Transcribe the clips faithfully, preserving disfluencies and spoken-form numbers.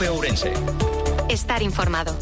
COPE Ourense. Estar informado.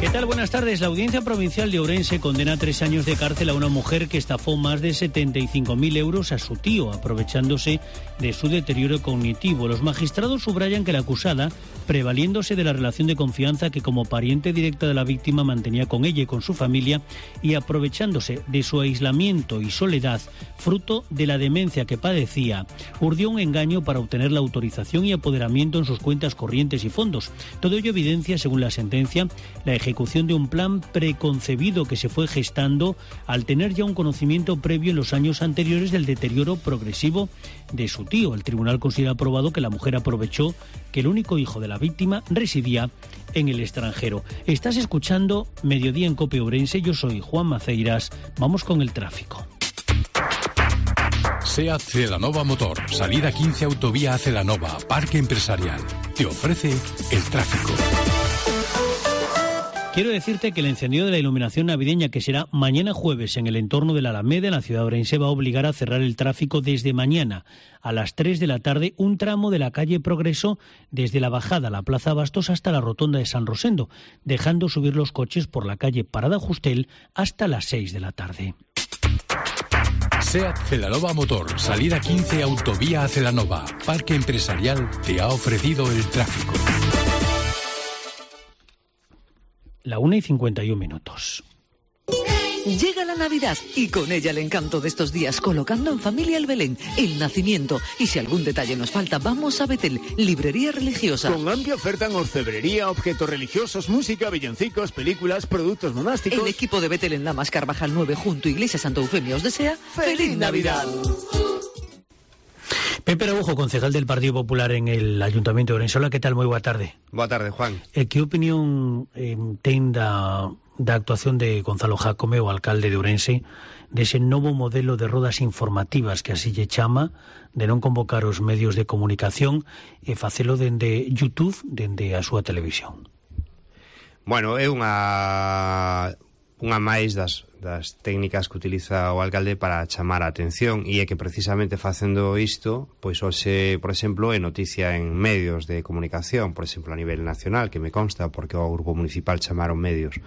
¿Qué tal? Buenas tardes. La Audiencia Provincial de Ourense condena a tres años de cárcel a una mujer que estafó más de setenta y cinco mil euros a su tío, aprovechándose de su deterioro cognitivo. Los magistrados subrayan que la acusada, prevaliéndose de la relación de confianza que como pariente directa de la víctima mantenía con ella y con su familia, y aprovechándose de su aislamiento y soledad, fruto de la demencia que padecía, urdió un engaño para obtener la autorización y apoderamiento en sus cuentas corrientes y fondos. Todo ello evidencia, según la sentencia, la ejecución de un plan preconcebido que se fue gestando al tener ya un conocimiento previo en los años anteriores del deterioro progresivo de su tío. El tribunal considera probado que la mujer aprovechó que el único hijo de la víctima residía en el extranjero. Estás escuchando Mediodía en COPE Ourense. Yo soy Juan Maceiras. Vamos con el tráfico. SEAT Celanova Motor, salida quince autovía a Celanova, Parque Empresarial. Te ofrece el tráfico. Quiero decirte que el encendido de la iluminación navideña, que será mañana jueves en el entorno de la Alameda, en la ciudad de Ourense, va a obligar a cerrar el tráfico desde mañana a las tres de la tarde, un tramo de la calle Progreso desde la bajada a la Plaza Bastos hasta la rotonda de San Rosendo, dejando subir los coches por la calle Parada Justel hasta las seis de la tarde. SEAT Celanova Motor, salida quince autovía a Celanova, Parque Empresarial, te ha ofrecido el tráfico. La una y cincuenta y un minutos. Llega la Navidad y con ella el encanto de estos días, colocando en familia el Belén, el nacimiento. Y si algún detalle nos falta, vamos a Betel, librería religiosa. Con amplia oferta en orfebrería, objetos religiosos, música, villancicos, películas, productos monásticos. El equipo de Betel en Lamas Carvajal nueve, junto a Iglesia Santa Eufemia, os desea ¡Feliz Navidad! Pepe Araujo, concejal del Partido Popular en el Ayuntamiento de Ourense. Hola, ¿qué tal? Moi boa tarde. Boa tarde, Juan. Eh, que opinión eh, ten da, da actuación de Gonzalo Jácome, o alcalde de Ourense, dese novo modelo de rodas informativas que así lle chama, de non convocar os medios de comunicación e facelo dende YouTube, dende a súa televisión? Bueno, é unha unha máis das, das técnicas que utiliza o alcalde para chamar a atención, e é que precisamente facendo isto, pois hoxe, por exemplo, é noticia en medios de comunicación, por exemplo, a nivel nacional, que me consta, porque o grupo municipal chamaron medios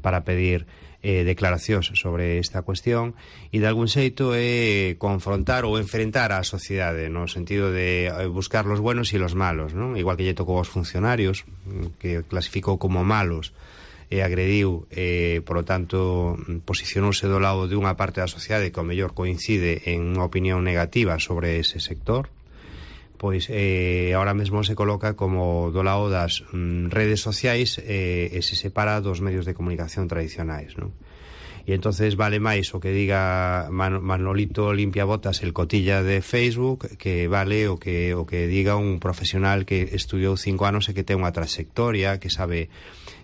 para pedir eh, declaracións sobre esta cuestión, e de algún xeito é confrontar ou enfrentar a sociedade, no sentido de buscar los buenos e los malos, non? Igual que lle tocou aos funcionarios, que clasificou como malos, e agrediu, eh, por lo tanto, posicionouse do lado de unha parte da sociedade que ao mellor coincide en unha opinión negativa sobre ese sector, pois eh, ahora mesmo se coloca como do lado das mm, redes sociais eh, e se separa dos medios de comunicación tradicionais, non? E entonces vale máis o que diga Man- Manolito Limpiabotas, el cotilla de Facebook, que vale o que o que diga un profesional que estudiou cinco anos e que ten unha trayectoria, que sabe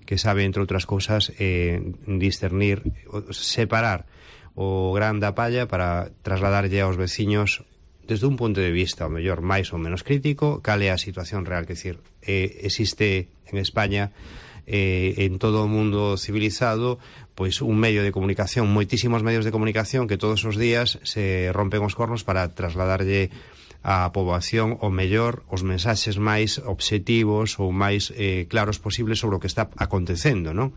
que sabe, entre outras cousas, eh, discernir, separar o gran da palla para trasladarlle aos veciños desde un punto de vista, o mellor, máis ou menos crítico, cal é a situación real. Que decir, eh, existe en España, eh, en todo o mundo civilizado, pois un medio de comunicación, moitísimos medios de comunicación que todos os días se rompen os cornos para trasladarlle a poboación o mellor os mensaxes máis obxectivos ou máis eh, claros posibles sobre o que está acontecendo, non?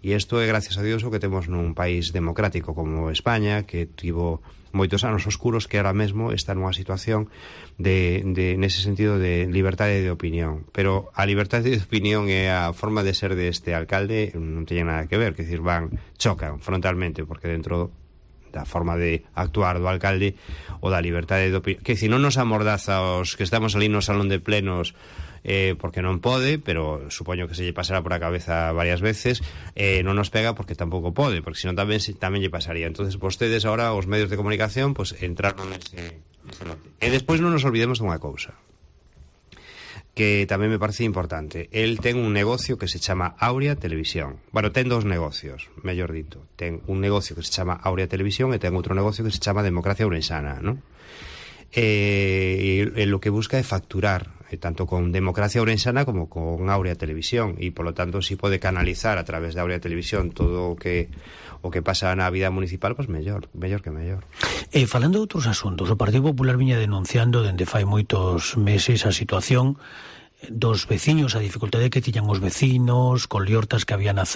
E isto é gracias a Dios o que temos nun país democrático como España, que tivo moitos anos oscuros, que ahora mesmo está nunha situación de, de nese sentido de libertade de opinión. Pero a libertade de opinión e a forma de ser deste alcalde non teñen nada que ver, que decir, van, chocan frontalmente, porque dentro da forma de actuar do alcalde o da liberdade de opinión, que si non nos amordaza os que estamos ali no salón de plenos eh, porque non pode, pero supoño que se lle pasará por a cabeza varias veces, eh, non nos pega porque tampouco pode, porque senón tamén, tamén lle pasaría. Entonces vostedes ahora, os medios de comunicación, pues entraron nese, nese lote. E despois non nos olvidemos dunha cousa que tamén me parece importante. El ten un negocio que se chama Aurea Televisión. Bueno, ten dos negocios, mellor dito. Ten un negocio que se chama Aurea Televisión e ten outro negocio que se chama Democracia Ourensana, ¿no? Eh, e, e lo que busca é facturar eh, tanto con Democracia Ourensana como con Áurea Televisión, e polo tanto si pode canalizar a través de Áurea Televisión todo o que o que pasa na vida municipal, pois mellor, mellor que mellor. E falando de outros asuntos, o Partido Popular viña denunciando dende fai moitos meses a situación dos veciños, a dificultade que tiñan os vecinos, con liortas que había na,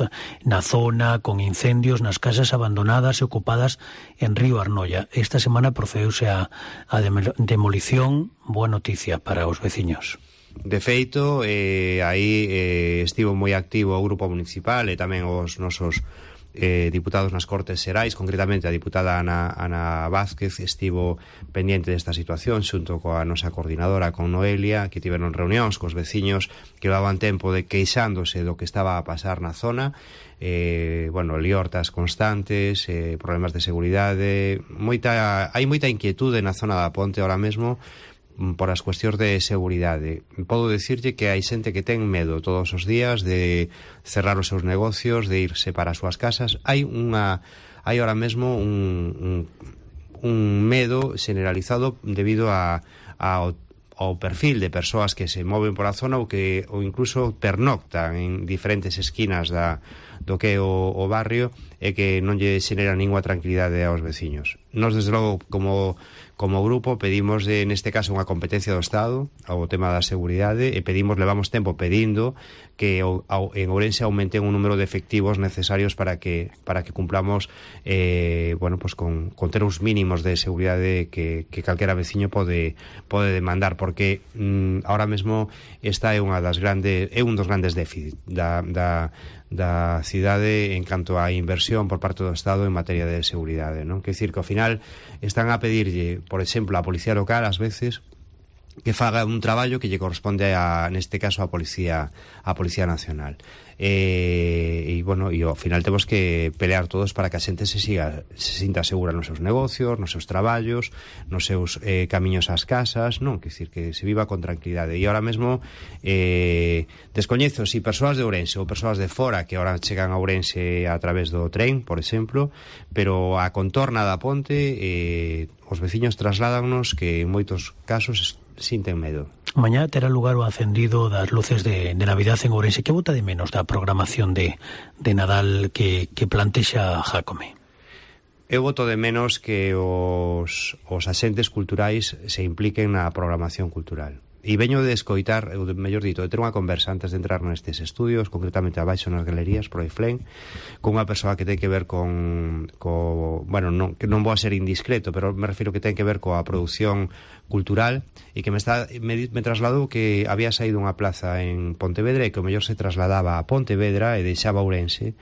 na zona, con incendios nas casas abandonadas e ocupadas en Río Arnoia. Esta semana procedeuse a, a demolición. Boa noticia para os veciños. De feito, eh, aí eh, estivo moi activo o grupo municipal e tamén os nosos Eh, diputados nas Cortes Xerais, concretamente a diputada Ana, Ana Vázquez estivo pendiente desta situación xunto coa nosa coordinadora, con Noelia, que tiveron reunións cos veciños que levaban tempo de queixándose do que estaba a pasar na zona, eh, bueno, liortas constantes, eh, problemas de seguridade, moita, hai moita inquietude na zona da Ponte ahora mesmo por as cuestións de seguridade. Podo dicirlle que hai xente que ten medo todos os días de cerrar os seus negocios, de irse para as súas casas. Hai unha hai ahora mesmo un, un, un medo generalizado debido a, a ao perfil de persoas que se moven por a zona ou que ou incluso pernoctan en diferentes esquinas da, do que é o, o barrio, e que non lle xenera ninguna tranquilidade aos veciños. Nos, desde logo, como como grupo pedimos, de, neste caso, unha competencia do Estado ao tema da seguridade, e pedimos, levamos tempo pedindo que o, ao, en Ourense aumenten un número de efectivos necesarios para que para que cumplamos eh, bueno, pues con, con ter uns mínimos de seguridade que, que calquera veciño pode pode demandar, porque mm, ahora mesmo esta é unha das grandes é un dos grandes déficit da, da da cidade en canto á inversión por parte do Estado en materia de seguridade, non? Quer dicir que ao final están a pedirlle, por exemplo, a Policía Local ás veces que faga un traballo que lle corresponde a, neste caso, a Policía a Policía Nacional. E, e bueno, e ao final temos que pelear todos para que a xente se siga se sinta segura nos seus negocios, nos seus traballos, nos seus eh, camiños ás casas, non? Quer dicir, que se viva con tranquilidade. E ahora mesmo eh, descoñezo si persoas de Ourense ou persoas de fora que ahora chegan a Ourense a través do tren, por exemplo, pero a contorna da Ponte eh, os veciños trasládannos que en moitos casos sinten medo. Mañá terá lugar o acendido das luces de, de Navidad en Ourense. Que bota de menos da programación de, de Nadal que, que plantexa Jácome? Eu voto de menos que os, os axentes culturais se impliquen na programación cultural. E veño de escoitar, ou de, mellor dito, de ter unha conversa antes de entrar nestes estudios, concretamente abaixo nas galerías, por Iflén, con unha persoa que ten que ver con, co, bueno, non, que non vou a ser indiscreto, pero me refiro que ten que ver coa produción cultural, e que me está me, me trasladou que había saído unha plaza en Pontevedra e que o mellor se trasladaba a Pontevedra e deixaba Ourense,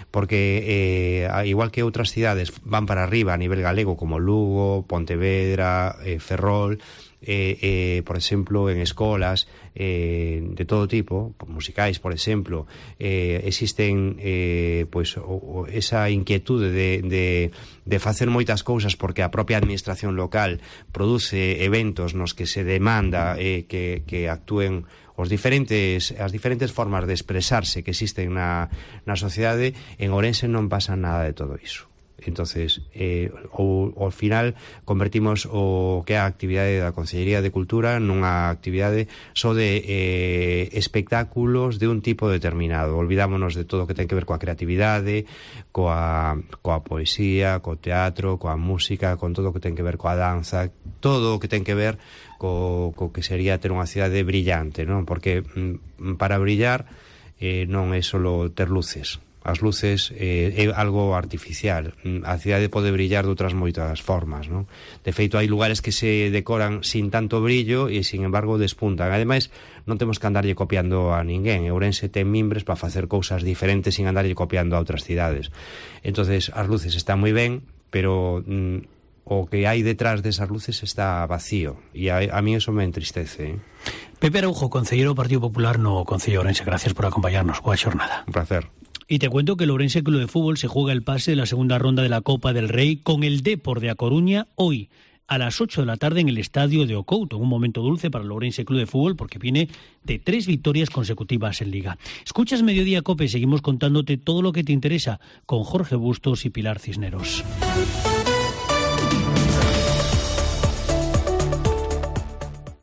porque eh, igual que outras cidades van para arriba a nivel galego, como Lugo, Pontevedra, eh, Ferrol, Eh, eh, por exemplo, en escolas eh, de todo tipo, musicais, por exemplo, eh, existen eh, pois, o, o, esa inquietude de, de, de facer moitas cousas porque a propia administración local produce eventos nos que se demanda eh, que, que actúen os diferentes, as diferentes formas de expresarse que existen na, na sociedade. En Ourense non pasa nada de todo iso. Entonces, eh, o, ao final convertimos o que é a actividade da Consellería de Cultura nunha actividade só de eh, espectáculos de un tipo determinado. Olvidámonos de todo o que ten que ver coa creatividade, coa, coa poesía, co teatro, coa música, con todo o que ten que ver coa danza, todo o que ten que ver co, co que sería ter unha cidade brillante, non? Porque mm, para brillar eh, non é só ter luces. As luces eh, é algo artificial. A cidade pode brillar de outras moitas formas, non? De feito, hai lugares que se decoran sin tanto brillo e, sin embargo, despuntan. Ademais, non temos que andarlle copiando a ninguén. Ourense ten mimbres para facer cousas diferentes sin andarlle copiando a outras cidades. Entonces, as luces están moi ben, pero mm, o que hai detrás desas luces está vacío. E a, a mí eso me entristece, eh? Pepe Araujo, concelleiro do Partido Popular no Concello de Ourense. Gracias por acompañarnos. Boa xornada. Un placer. Y te cuento que el Ourense Club de Fútbol se juega el pase de la segunda ronda de la Copa del Rey con el Depor de A Coruña hoy a las ocho de la tarde en el estadio de Ocouto. Un momento dulce para el Ourense Club de Fútbol porque viene de tres victorias consecutivas en Liga. Escuchas Mediodía Cope, seguimos contándote todo lo que te interesa con Jorge Bustos y Pilar Cisneros.